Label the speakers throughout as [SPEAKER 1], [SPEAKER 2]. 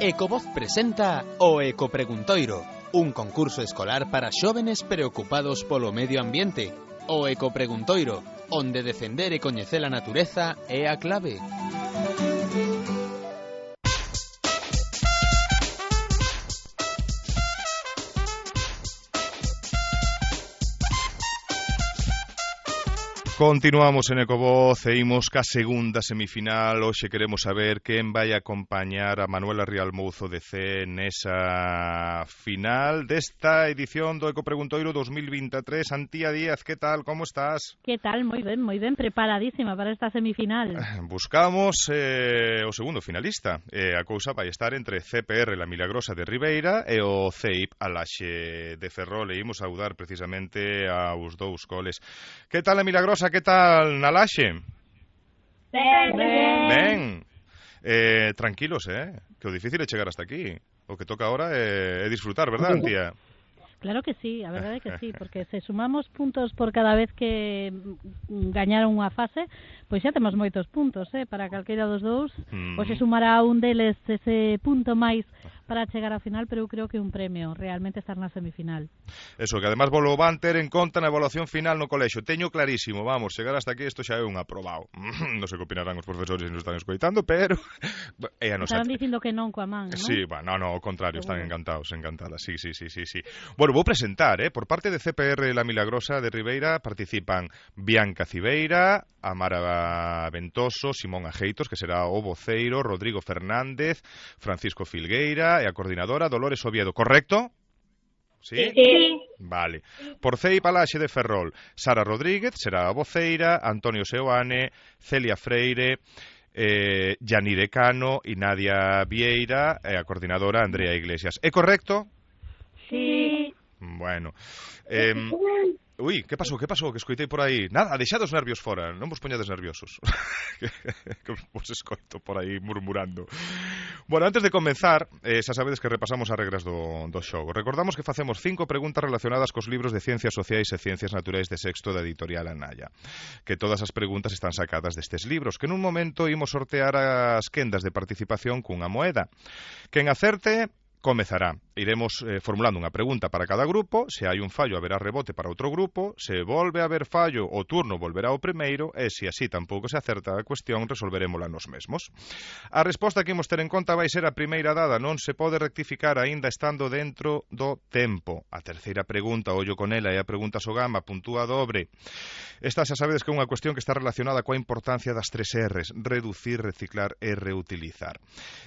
[SPEAKER 1] Ecovoz presenta o Ecopreguntoiro, un concurso escolar para xóvenes preocupados polo medio ambiente. O Ecopreguntoiro, onde defender e coñecer a natureza é a clave.
[SPEAKER 2] Continuamos en Ecovoz e imos ca segunda semifinal. Hoxe queremos saber quen vai acompañar a Manuela Rial Mouzo de C nesa final desta edición do Ecopreguntoiro 2023. Antía Díaz, que tal? Como estás?
[SPEAKER 3] Que tal? Moi ben, preparadísima para esta semifinal.
[SPEAKER 2] Buscamos o segundo finalista. A cousa vai estar entre CPR La Milagrosa de Ribeira e o CEIP Alaxe de Ferrol. E imos saudar precisamente aos dous coles. Que tal, La Milagrosa? Que tal, Nalaxe? Ben. Tranquilos, que o difícil é chegar hasta aquí. O que toca ahora é disfrutar, verdad, Antía?
[SPEAKER 3] Claro que sí, a verdade é que sí, porque se sumamos puntos por cada vez que gañaron unha fase, pois xa temos moitos puntos, para calqueira dos dous. Pois se sumará un deles ese punto máis para chegar á final, pero eu creo que un premio realmente estar na semifinal.
[SPEAKER 2] Eso, que además volo van ter en conta na evaluación final no colexo. Teño clarísimo, vamos, chegar hasta aquí isto xa é un aprobado. Non sei que opinarán os profesores se nos están escoitando, pero é a nosa...
[SPEAKER 3] Estaban dicindo que non coa man, non?
[SPEAKER 2] Sí, no, ao contrario, están encantados, encantadas. Sí. Bueno, vou presentar, por parte de CPR La Milagrosa de Ribeira participan Bianca Cibeira, Amara Ventoso, Simón Ajeitos, que será o voceiro, Rodrigo Fernández, Francisco Filgueira e a coordinadora Dolores Oviedo, correcto? Sí?
[SPEAKER 4] Sí.
[SPEAKER 2] Vale. Por CEIP Alaxe de Ferrol, Sara Rodríguez será a voceira, Antonio Seoane, Celia Freire, Yanire Cano e Nadia Vieira e a coordinadora Andrea Iglesias. É correcto?
[SPEAKER 4] Sí.
[SPEAKER 2] Bueno. Ui, que pasou? Que escoitei por aí? Nada, deixad os nervios fora, non vos poñades nerviosos. Que vos escoito por aí murmurando. Bueno, antes de comenzar, xa sabedes que repasamos as regras do xogo. Recordamos que facemos 5 preguntas relacionadas cos libros de Ciencias Sociais e Ciencias Naturais de sexto da editorial Anaya. Que todas as preguntas están sacadas destes libros, que nun momento imos sortear as quendas de participación cunha moeda. Quen acerte comezará. Iremos formulando unha pregunta para cada grupo. Se hai un fallo, haberá rebote para outro grupo. Se volve a haber fallo, o turno volverá ao primeiro. E se así tampouco se acerta a cuestión, resolverémola nos mesmos. A resposta que imos ter en conta vai ser a primeira dada. Non se pode rectificar aínda estando dentro do tempo. A terceira pregunta, ollo con ela, é a pregunta Sogama, puntúa dobre. Esta xa sabedes que é unha cuestión que está relacionada coa importancia das 3 R's: reducir, reciclar e reutilizar.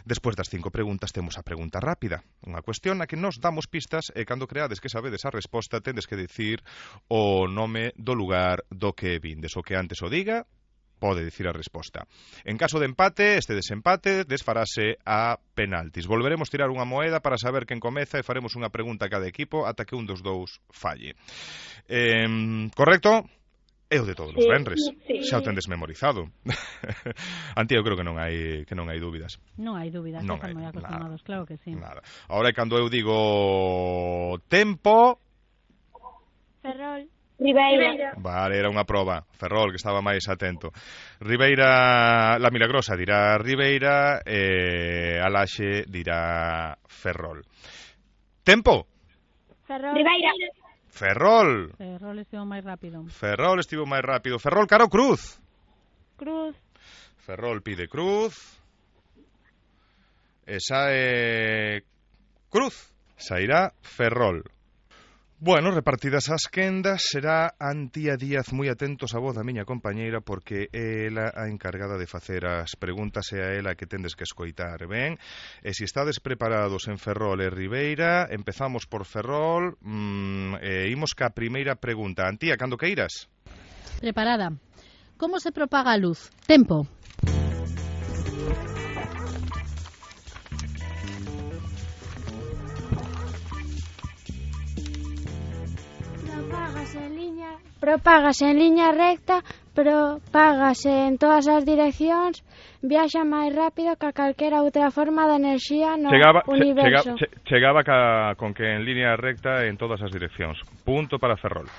[SPEAKER 2] Despois das 5 preguntas temos a pregunta rápida, unha cuestión na que nos damos pistas e cando creades que sabedes a resposta tendes que dicir o nome do lugar do que vindes. O que antes o diga pode dicir a resposta. En caso de empate, este desempate desfarase a penaltis. Volveremos tirar unha moeda para saber quen comeza e faremos unha pregunta a cada equipo ata que un dos dous falle. Correcto? É o de todos os venres.
[SPEAKER 4] Sí.
[SPEAKER 2] Xa o tendes memorizado. Antía, eu creo que non hai dúbidas.
[SPEAKER 3] Non hai dúbidas, están moi acostumados, claro que sí.
[SPEAKER 2] Nada. Ahora cando eu digo tempo...
[SPEAKER 4] Ferrol. Ribeira.
[SPEAKER 2] Vale, era unha proba. Ferrol, que estaba máis atento. Ribeira, La Milagrosa dirá Ribeira e Alaxe dirá Ferrol. Tempo?
[SPEAKER 4] Ferrol. Ribeira.
[SPEAKER 2] Ferrol
[SPEAKER 3] estivo máis rápido.
[SPEAKER 2] Ferrol, cara ou cruz?
[SPEAKER 4] Cruz.
[SPEAKER 2] Ferrol pide cruz. Esa é cruz. Sairá Ferrol. Bueno, repartidas as quendas, será Antía Díaz. Moi atentos a voz da miña compañeira, porque é ela a encargada de facer as preguntas e a ela que tendes que escoitar, ben? E se estades preparados en Ferrol e Ribeira, empezamos por Ferrol. Imos ca primeira pregunta. Antía, cando queiras?
[SPEAKER 3] Preparada. Como se propaga a luz? Tempo.
[SPEAKER 5] Propágase en liña recta, propágase en todas as direccións, viaxa máis rápido que calquera outra forma de enerxía no universo.
[SPEAKER 2] Chegaba con que en liña recta en todas as direccións. Punto para Ferrol.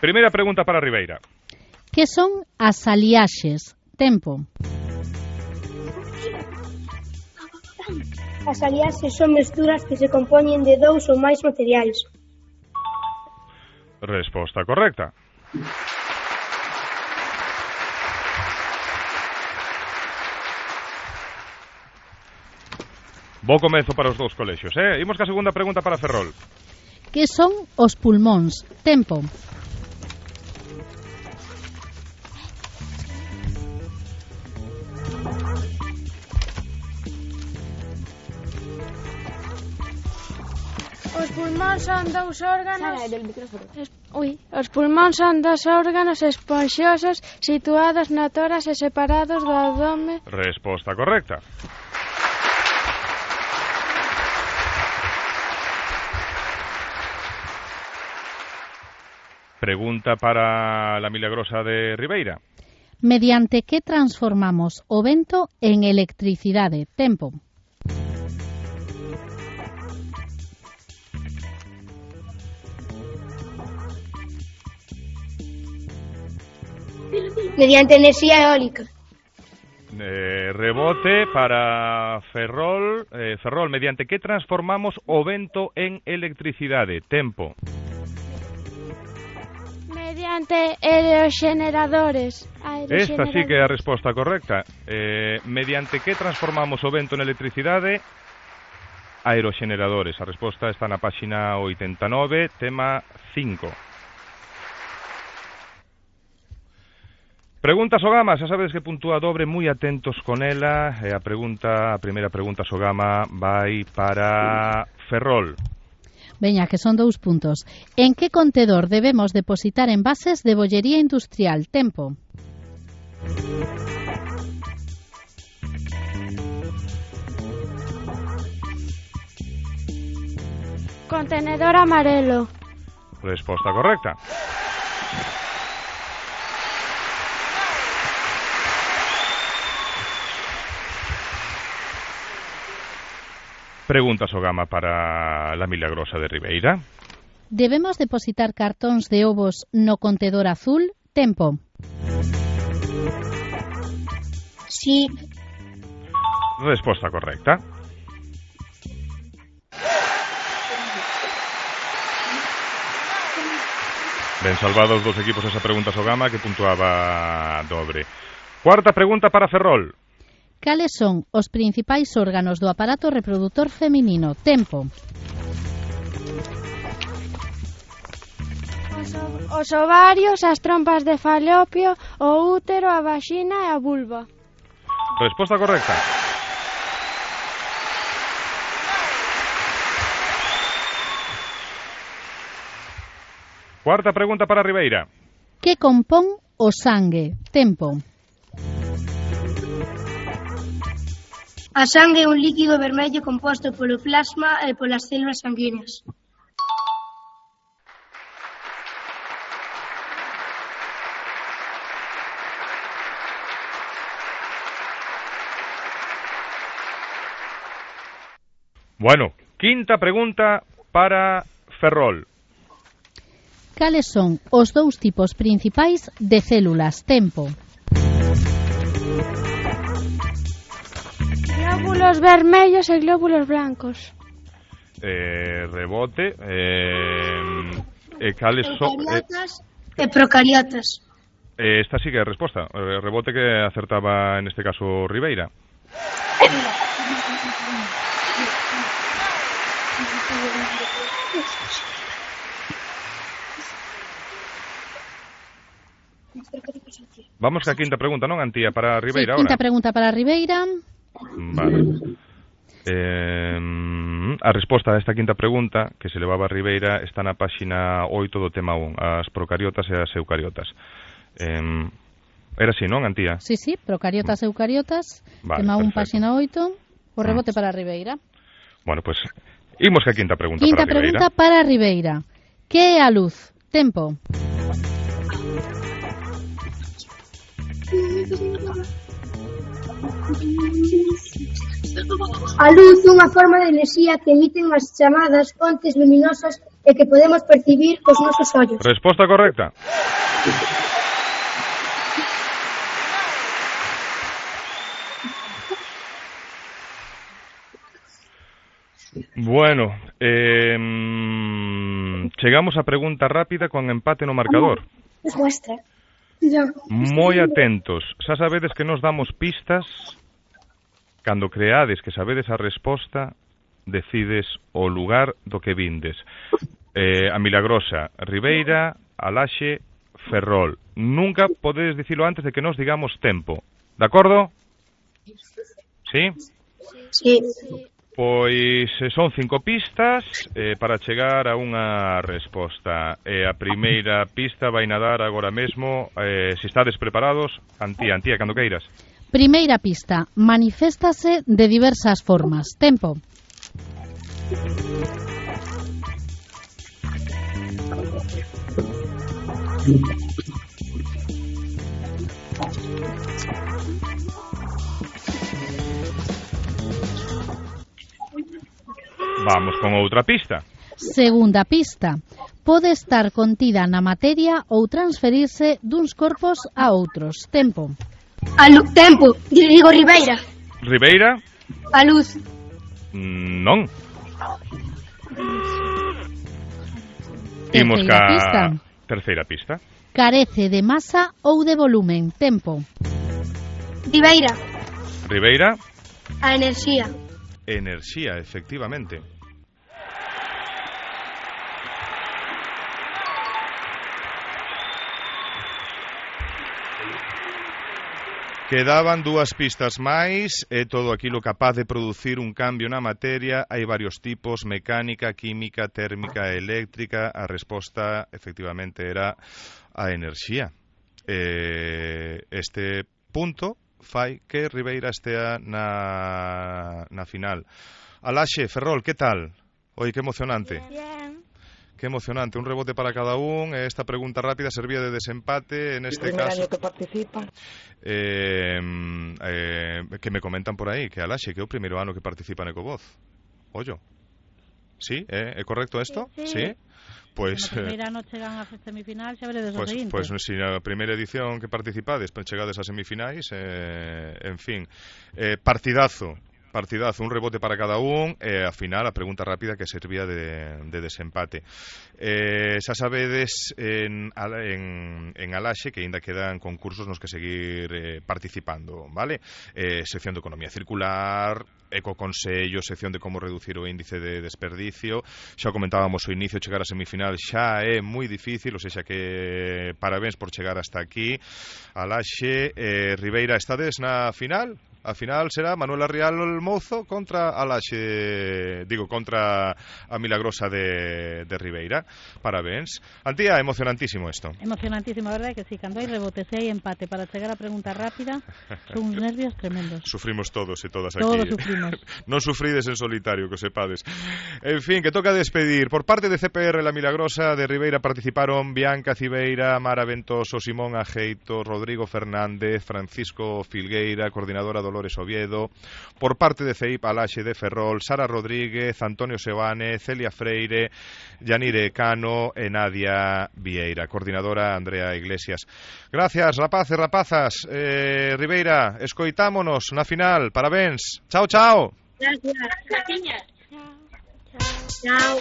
[SPEAKER 2] Primeira pregunta para Ribeira.
[SPEAKER 3] Que son as aliaxes? Tempo.
[SPEAKER 4] As aliaxes son mesturas que se compoñen de 2 ou máis materiais.
[SPEAKER 2] Resposta correcta. Bo comezo para os dous colexios, Imos ca segunda pregunta para Ferrol.
[SPEAKER 3] Que son os pulmóns? Tempo.
[SPEAKER 5] Os pulmóns son dous órganos. Os pulmóns son dos órganos esponxosos situados no tórax e separados do abdome.
[SPEAKER 2] Resposta correcta. Pregunta para la milagrosa de Ribeira.
[SPEAKER 3] Mediante que transformamos o vento en electricidade? Tempo.
[SPEAKER 4] Mediante enerxía eólica.
[SPEAKER 2] Rebote para Ferrol. Ferrol, mediante que transformamos o vento en electricidade? Tempo.
[SPEAKER 5] Mediante aeroxeneradores.
[SPEAKER 2] Esta sí que é a resposta correcta. Mediante que transformamos o vento en electricidade? Aeroxeneradores. A resposta está na páxina 89, tema 5. Pregunta Sogama, xa sabedes que puntúa dobre, moi atentos con ela. A primeira pregunta Sogama vai para Ferrol.
[SPEAKER 3] Veña, que son 2 puntos. En que contedor debemos depositar envases de bollería industrial? Tempo.
[SPEAKER 5] Contenedor amarelo.
[SPEAKER 2] Resposta correcta. Pregunta Sogama para la milagrosa de Ribeira.
[SPEAKER 3] Debemos depositar cartóns de ovos no contedor azul? Tempo.
[SPEAKER 4] Sí.
[SPEAKER 2] Resposta correcta. Ben salvados dos equipos esa pregunta Sogama, que puntuaba dobre. Cuarta pregunta para Ferrol.
[SPEAKER 3] Cales son os principais órganos do aparato reproductor feminino? Tempo.
[SPEAKER 5] Os ovarios, as trompas de falopio, o útero, a vaxina e a vulva.
[SPEAKER 2] Resposta correcta. Cuarta pregunta para Ribeira.
[SPEAKER 3] Que compón o sangue? Tempo.
[SPEAKER 4] A sangue é un líquido vermello composto polo plasma e polas células sanguíneas.
[SPEAKER 2] Bueno, quinta pregunta para Ferrol.
[SPEAKER 3] Cales son os 2 tipos principais de células? Tempo.
[SPEAKER 5] Glóbulos vermellos e glóbulos blancos.
[SPEAKER 2] Rebote. Cales son...
[SPEAKER 4] Eucariotas e procariotas.
[SPEAKER 2] Esta sí que é a resposta. Rebote, que acertaba en este caso Ribeira. Vamos ca quinta pregunta, non, Antía, para Ribeira,
[SPEAKER 3] sí, quinta pregunta para Ribeira.
[SPEAKER 2] Vale. A resposta a esta quinta pregunta que se levaba a Ribeira está na páxina 8 do tema 1, as procariotas e as eucariotas. Era así, non, Antía?
[SPEAKER 3] Sí, procariotas e eucariotas, vale, tema 1, páxina 8, o rebote para Ribeira.
[SPEAKER 2] Bueno, pues, imos ca quinta pregunta
[SPEAKER 3] para Ribeira. Quinta pregunta para Ribeira. Que é a luz? Tempo.
[SPEAKER 4] A luz, unha forma de enerxía que emiten as chamadas fontes luminosas e que podemos percibir cos nosos ollos.
[SPEAKER 2] Resposta correcta. Bueno, chegamos a pregunta rápida con empate no marcador.
[SPEAKER 4] Es vuestra.
[SPEAKER 2] Moi atentos. Xa sabedes que nos damos pistas. Cando creades que sabedes a resposta, decides o lugar do que vindes. A Milagrosa, Ribeira, Alaxe, Ferrol. Nunca podedes dicilo antes de que nos digamos tempo. De acordo? Sí?
[SPEAKER 4] Sí.
[SPEAKER 2] Pois son 5 pistas para chegar a unha resposta. A primeira pista vai nadar agora mesmo. Se estades preparados, Antía, cando queiras.
[SPEAKER 3] Primeira pista. Maniféstase de diversas formas. Tempo.
[SPEAKER 2] Vamos con outra pista.
[SPEAKER 3] Segunda pista. Pode estar contida na materia ou transferirse duns corpos a outros. Tempo.
[SPEAKER 4] Tempo. Digo Ribeira.
[SPEAKER 2] Ribeira?
[SPEAKER 4] A luz.
[SPEAKER 2] Non. Imos ca terceira pista.
[SPEAKER 3] Carece de masa ou de volumen. Tempo.
[SPEAKER 4] Ribeira.
[SPEAKER 2] Ribeira?
[SPEAKER 4] A enerxía.
[SPEAKER 2] Enerxía, efectivamente. Quedaban 2 pistas máis e todo aquilo capaz de producir un cambio na materia. Hai varios tipos: mecánica, química, térmica, eléctrica. A resposta, efectivamente, era a enerxía. Este punto fai que Ribeira estea na final. Alaxe, Ferrol, que tal? Oi, que emocionante.
[SPEAKER 5] Bien.
[SPEAKER 2] Que emocionante, un rebote para cada un. Esta pregunta rápida servía de desempate. En este caso,
[SPEAKER 6] año que participa?
[SPEAKER 2] Que me comentan por aí que Alaxe, que é o primeiro ano que participa en Ecovoz. Ollo. Sí, é correcto isto? Sí. Pois
[SPEAKER 3] no primeiro ano chegan a semifinal, xa veredes o seguinte.
[SPEAKER 2] Pois si na primeira edición que participades, chegades a semifinais, en fin, partidazo, un rebote para cada un, e a final a pregunta rápida que servía de desempate. Xa sabedes en Alaxe que ainda quedan concursos nos que seguir participando, vale? Sección de economía circular, ecoconsello, sección de como reducir o índice de desperdicio. Xa comentábamos ao inicio, chegar a semifinal xa é moi difícil, ou seja que parabéns por chegar hasta aquí. Alaxe, Ribeira, estades na final? A final será Manuela Rial Mouzo contra Alaxe, contra a Milagrosa de Ribeira. Parabéns. Antía, emocionantísimo isto.
[SPEAKER 3] Emocionantísimo, a verdade que sí. Cando hai rebotes e hai empate para chegar a pregunta rápida, son uns nervios tremendos.
[SPEAKER 2] Sufrimos todos e todas aquí.
[SPEAKER 3] Todos sufrimos.
[SPEAKER 2] Non sufrides en solitario, que sepades. En fin, que toca despedir. Por parte de CPR La Milagrosa de Ribeira participaron Bianca Cibeira, Mara Ventoso, Simón Ajeito, Rodrigo Fernández, Francisco Filgueira, coordinadora Dolores Oviedo. Por parte de CEIP Alaxe de Ferrol, Sara Rodríguez, Antonio Sebane, Celia Freire, Yanire Cano e Nadia Vieira. Coordinadora Andrea Iglesias. Gracias, rapaces, rapazas. Ribeira, escoitámonos na final. Parabéns. Chao, chao.
[SPEAKER 4] Gracias. Chao.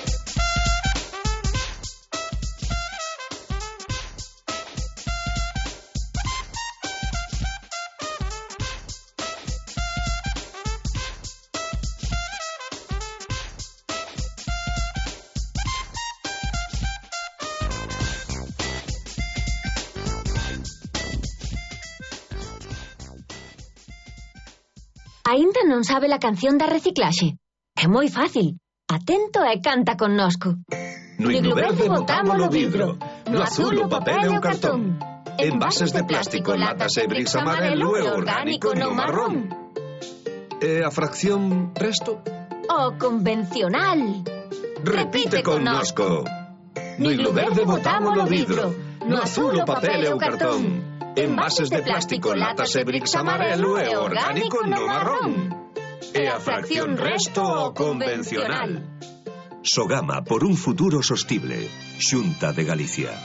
[SPEAKER 7] Aínda non sabe a canción da reciclaxe? É moi fácil. Atento e canta connosco.
[SPEAKER 8] No himno verde botámolo vidro, no azul o papel e o cartón. Envases de plástico, latas e bricks amarelo e orgánico no marrón. E a fracción resto?
[SPEAKER 7] O convencional.
[SPEAKER 8] Repite connosco. No himno verde botámolo vidro, no azul o papel e o cartón. Envases de plástico, latas e bricks amarelo e orgánico no marrón. e a fracción resto o convencional. Sogama por un futuro sostible. Xunta de Galicia.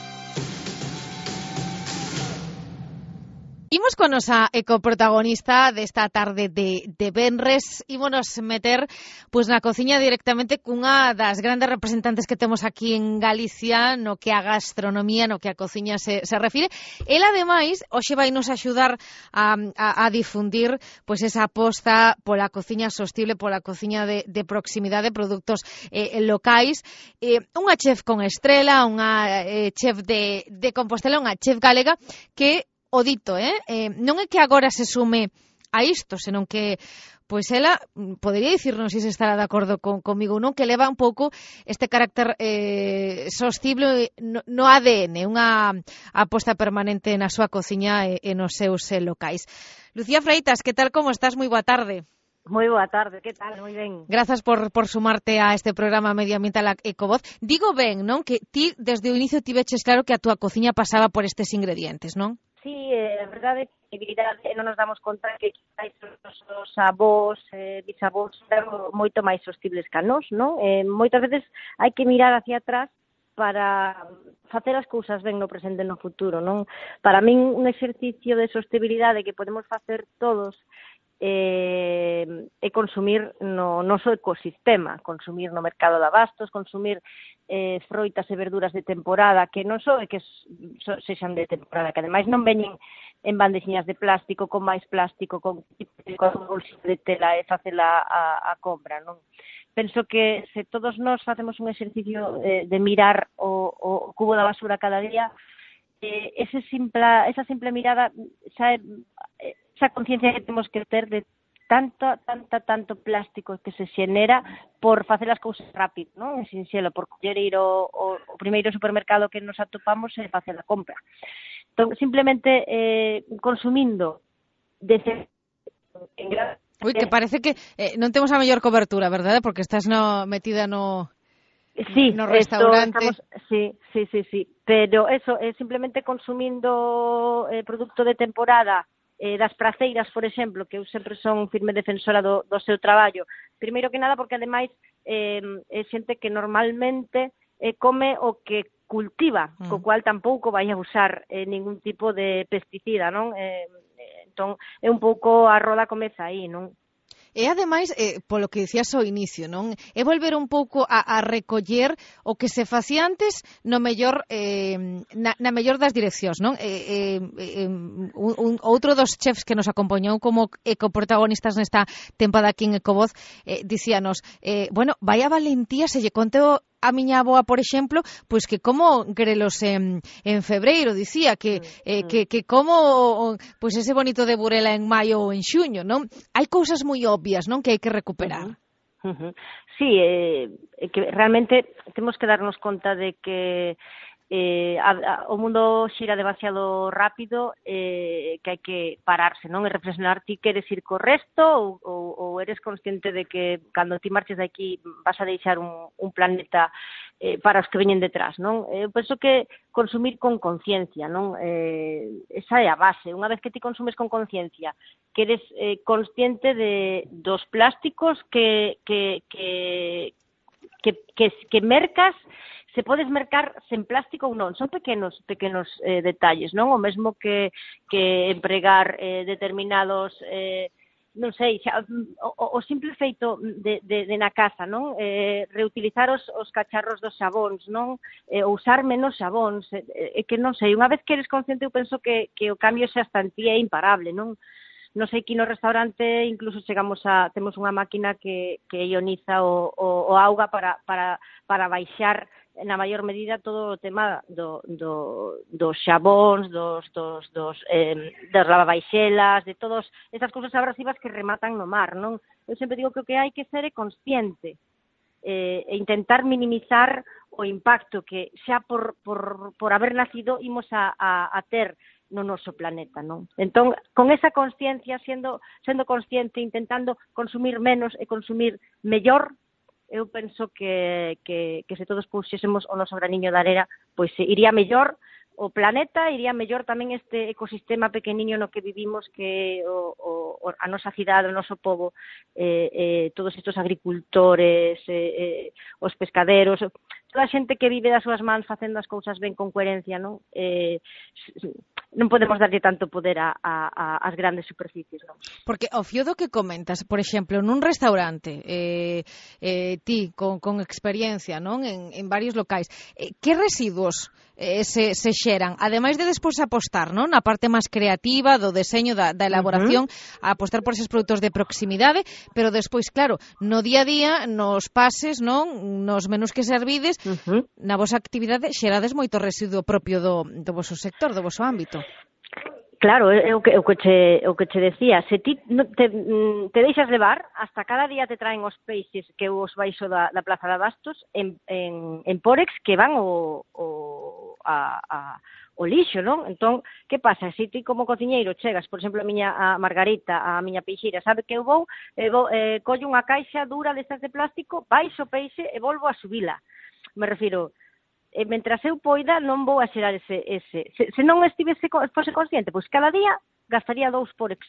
[SPEAKER 6] Imos con nosa ecoprotagonista desta tarde de venres. Ímonos meter na cociña directamente cunha das grandes representantes que temos aquí en Galicia no que a gastronomía, no que a cociña se refire. Ela, ademais, hoxe vai nos axudar a difundir esa aposta pola cociña sostible, pola cociña de proximidade, produtos locais. Unha chef con estrela, unha chef de Compostela, unha chef galega que o dito, non é que agora se sume a isto, senón que ela podería dicirnos se estará de acordo comigo ou non, que leva un pouco este carácter sostible no ADN, unha aposta permanente na súa cociña e nos seus locais. Lucía Freitas, que tal, como estás? Moi boa tarde.
[SPEAKER 9] Moi boa tarde, que tal? Moi ben.
[SPEAKER 6] Grazas por sumarte a este programa medioambiental Ecovoz. Digo ben, non? Que ti, desde o inicio, tiveches claro que a túa cociña pasaba por estes ingredientes, non?
[SPEAKER 9] Sí, a verdade é que non nos damos conta que os avós, bisavós eran moito máis sostibles que nós, non? Moitas veces hai que mirar hacia atrás para facer as cousas ben no presente e no futuro, non? Para min, un exercicio de sostibilidade que podemos facer todos e consumir no noso ecosistema, consumir no mercado de abastos, consumir froitas e verduras de temporada, que non só é que sexan de temporada, que ademais non veñen en bandexiñas de plástico, con máis plástico, con bolsas de tela e facela a compra, non? Penso que se todos nós facemos un exercicio de mirar o cubo da basura cada día, esa simple mirada esa conciencia que temos que ter de tanto plástico que se xenera por facer as cousas rápido, non? En sinxelo, por coller ir ao primeiro supermercado que nos atopamos e facer a compra. Entón, simplemente consumindo
[SPEAKER 6] Ui, que parece que non temos a mellor cobertura, verdade? Porque estás metida no restaurante.
[SPEAKER 9] Sí. Pero eso, simplemente consumindo produto de temporada, das praceiras, por exemplo, que eu sempre son firme defensora do seu traballo. Primeiro que nada, porque ademais é xente que normalmente come o que cultiva, co cual tampouco vai a usar ningún tipo de pesticida, non? Entón, é un pouco a roda comeza aí, non?
[SPEAKER 6] E, ademais, polo que dicías ao inicio, non? É volver un pouco a recoller o que se facía antes no mellor, na mellor das direccións, non? Outro dos chefs que nos acompañou como ecoprotagonistas nesta tempada aquí en Ecovoz dicíanos, vai a valentía se lle conto a miña avoa, por exemplo, pois que como grelos en febreiro, dicía que como pois ese bonito de Burela en maio ou en xuño, non? Hai cousas moi obvias, non, que hai que recuperar.
[SPEAKER 9] Sí, que realmente temos que darnos conta de que o mundo xira demasiado rápido, que hai que pararse, non? E reflexionar, ti queres ir co resto ou eres consciente de que cando ti marches de aquí vas a deixar un planeta para os que veñen detrás, non? Eu penso que consumir con conciencia, non? Esa é a base. Unha vez que ti consumes con conciencia, que eres consciente dos plásticos que mercas, se podes mercar sen plástico ou non, son pequenos detalles, non? O mesmo que empregar determinados, non sei, o simple feito de na casa, non? Reutilizar os cacharros dos xabóns, non? Ou usar menos xabóns, que non sei, unha vez que eres consciente, eu penso que o cambio xa está en ti é imparable, non? Non sei, aquí no restaurante incluso temos unha máquina que ioniza o auga para baixar na maior medida todo o tema dos xabóns, dos lavabaixelas, de todas esas cousas abrasivas que rematan no mar, non? Eu sempre digo que o que hai que ser é consciente e intentar minimizar o impacto que xa por haber nacido imos a ter no noso planeta, non? Entón, con esa consciencia, sendo consciente, intentando consumir menos e consumir mellor, eu penso que se todos puxésemos o noso graniño de arena, pois iría mellor o planeta, iría mellor tamén este ecosistema pequeniño no que vivimos, que a nosa cidade, o noso pobo, todos estes agricultores, os pescaderos, toda a xente que vive das súas mans facendo as cousas ben con coherencia, non? Non podemos darlle tanto poder ás grandes superficies, non?
[SPEAKER 6] Porque ao fío do que comentas, por exemplo, nun restaurante, ti con experiencia, non, en varios locais, que residuos se xeran, ademais de despois apostar, non, na parte máis creativa do deseño da elaboración, a apostar por eses produtos de proximidade, pero despois, claro, no día a día, nos pases, non, nos menús que servides, na vosa actividade xerades moito residuo propio do voso sector, do voso ámbito.
[SPEAKER 9] Claro, é o que che decía, se ti te deixas levar, hasta cada día te traen os peixes que os baixo da Plaza de Abastos en Pórex que van o lixo, non? Entón, que pasa? Se ti como cociñeiro chegas, por exemplo, a Margarita, a miña peixeira, sabe que eu vou collo unha caixa dura destas de plástico, baixo o peixe e volvo a subila. Me refiro, mentras eu poida non vou a xerar ese. Se non fose consciente, pois cada día gastaría 2 Pórex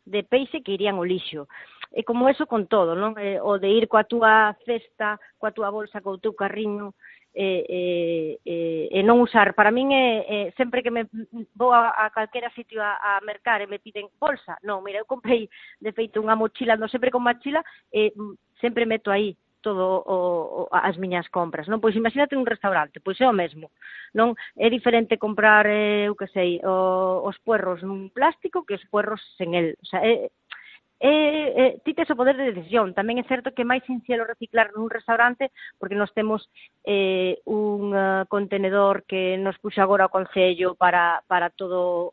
[SPEAKER 9] de peixe que irían ao lixo. E como eso con todo, non? O de ir coa túa cesta, coa túa bolsa, co teu carriño, e non usar. Para min sempre que me vou a calquera sitio a mercar e me piden bolsa, non, mira, eu comprei de feito unha mochila, non sempre con mochila, e sempre meto aí todo as miñas compras, non? Pois imagínate un restaurante, pois é o mesmo, non? É diferente comprar, eu que sei, os puerros nun plástico que os puerros sen el. O sea, ti tes o poder de decisión. Tamén é certo que é máis sinxelo reciclar nun restaurante, porque nós temos un contenedor que nos puxa agora o Concello para todo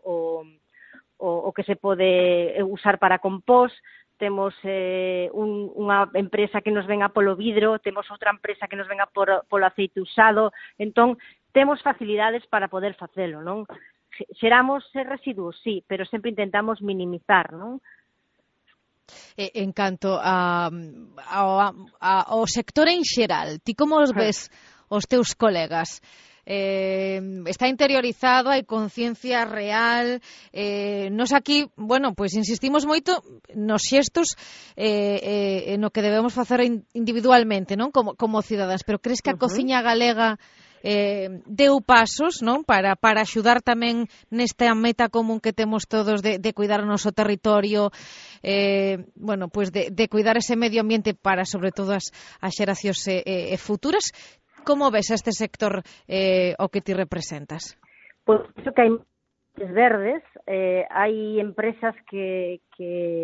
[SPEAKER 9] o que se pode usar para compost. Temos unha empresa que nos venga polo vidro, temos outra empresa que nos venga polo aceite usado, entón temos facilidades para poder facelo, non? Xeramos residuos, sí, pero sempre intentamos minimizar, non?
[SPEAKER 6] En canto ao sector en xeral, ti como os ves os teus colegas? Está interiorizado, hai conciencia real, nos aquí, bueno, pois insistimos moito nos xestos no que debemos facer individualmente, non, como cidadáns, pero crees que a cociña galega deu pasos, non, para axudar tamén nesta meta común que temos todos de cuidar o noso territorio, bueno, pois de cuidar ese medio ambiente para, sobre todo, as xeracións futuras? Como ves este sector o que ti representas?
[SPEAKER 9] Pois iso que hai verdes, hai empresas que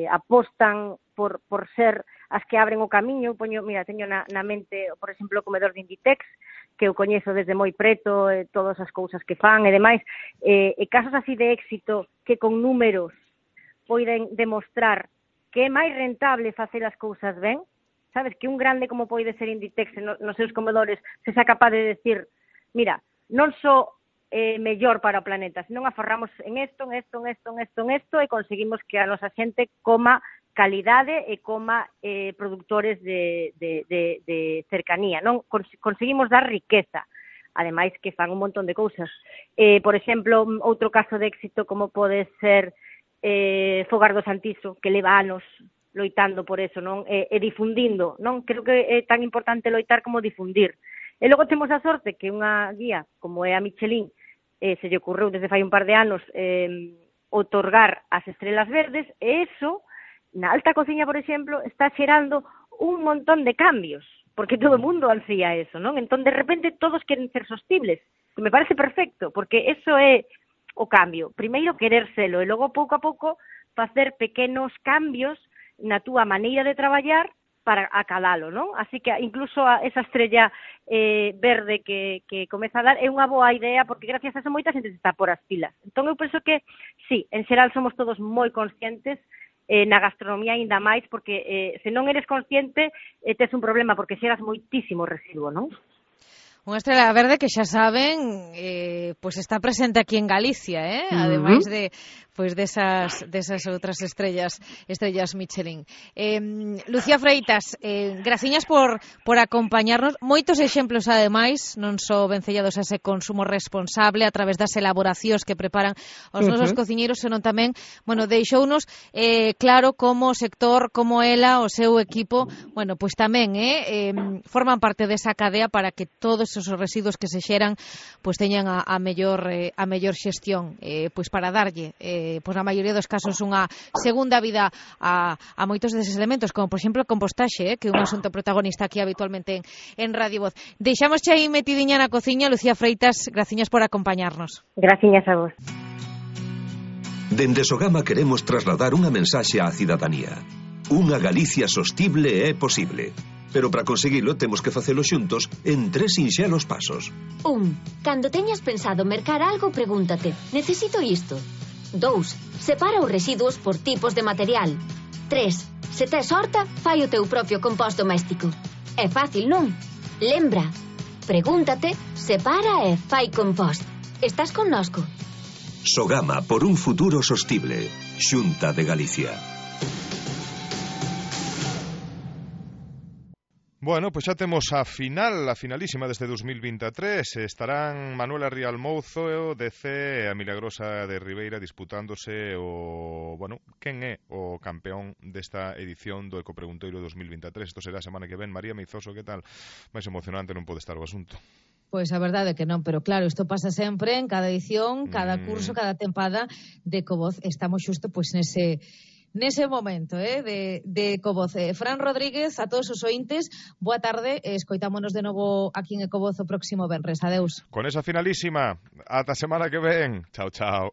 [SPEAKER 9] apostan por ser as que abren o camiño. Teño na mente, por exemplo, o comedor de Inditex, que eu coñezo desde moi preto, todas as cousas que fan e demais, e casos así de éxito que con números poden demostrar que é máis rentable facer as cousas ben. Sabes, que un grande como pode ser Inditex nos seus comedores se xa capaz de decir, mira, non só mellor para o planeta, senón aforramos en esto e conseguimos que a nosa xente coma calidade e coma produtores de cercanía, non? Conseguimos dar riqueza, ademais que fan un montón de cousas. Por exemplo, outro caso de éxito como pode ser Fogar do Santiso, que leva anos loitando por eso, non? E difundindo, non? Creo que é tan importante loitar como difundir. E logo temos a sorte que unha guía, como é a Michelin, se lle ocurreu desde fai un par de anos outorgar as estrelas verdes, e eso, na alta cociña, por exemplo, está xerando un montón de cambios, porque todo o mundo ansía eso, non? Entón, de repente, todos queren ser sostibles, que me parece perfecto, porque eso é o cambio. Primeiro, querer selo, e logo, pouco a pouco, facer pequenos cambios na túa maneira de traballar para acalalo, non? Así que incluso esa estrella verde que comeza a dar é unha boa idea, porque gracias a eso moita xente se está por as pilas. Entón eu penso que, sí, en xeral somos todos moi conscientes, na gastronomía aínda máis, porque se non eres consciente tes un problema, porque xeras moitísimo residuo, non?
[SPEAKER 6] Unha estrela verde que xa saben, pois está presente aquí en Galicia, ademais de pois desas outras estrellas Michelin. Lucía Freitas, graciñas por acompañarnos. Moitos exemplos ademais, non só vencellados a ese consumo responsable a través das elaboracións que preparan os nosos cociñeiros, senón tamén, bueno, deixounos claro como o sector, como ela, o seu equipo, bueno, pois tamén forman parte desa cadea para que todos os residuos que se xeran pois teñan a mellor xestión, pois para darlle pois na maioría dos casos unha segunda vida a moitos deses elementos, como por exemplo o compostaxe, que é un asunto protagonista aquí habitualmente en Radio Voz. Deixámosche aí metidiña na cociña. Lucía Freitas, graciñas por acompañarnos.
[SPEAKER 9] Graciñas a vos.
[SPEAKER 8] Dende Sogama queremos trasladar unha mensaxe á cidadanía. Unha Galicia sostible é posible. Pero para conseguilo temos que facelo xuntos en 3 sinxelos pasos.
[SPEAKER 7] 1. Cando teñas pensado mercar algo, pregúntate: necesito isto? 2. Separa os residuos por tipos de material. 3. Se tes horta, fai o teu propio compost doméstico. É fácil, non? Lembra, pregúntate, separa e fai compost. Estás connosco?
[SPEAKER 8] Sogama, por un futuro sostible. Xunta de Galicia.
[SPEAKER 2] Bueno, pois xa temos a finalísima deste 2023. Estarán Manuela Rial Mouzo, DC e a Milagrosa de Ribeira disputándose quen é o campeón desta edición do Ecopreguntoiro 2023. Isto será a semana que ven. María Meizoso, que tal? Máis emocionante non pode estar o asunto.
[SPEAKER 6] Pois a verdade é que non, pero claro, isto pasa sempre en cada edición, cada curso, cada tempada de Ecovoz. Estamos xusto pois nese momento de Ecovoz. Fran Rodríguez, a todos os ointes, boa tarde, escoitámonos de novo aquí en Ecovoz o próximo venres. Adeus.
[SPEAKER 2] Con esa finalísima, ata semana que ven. Chao, chao.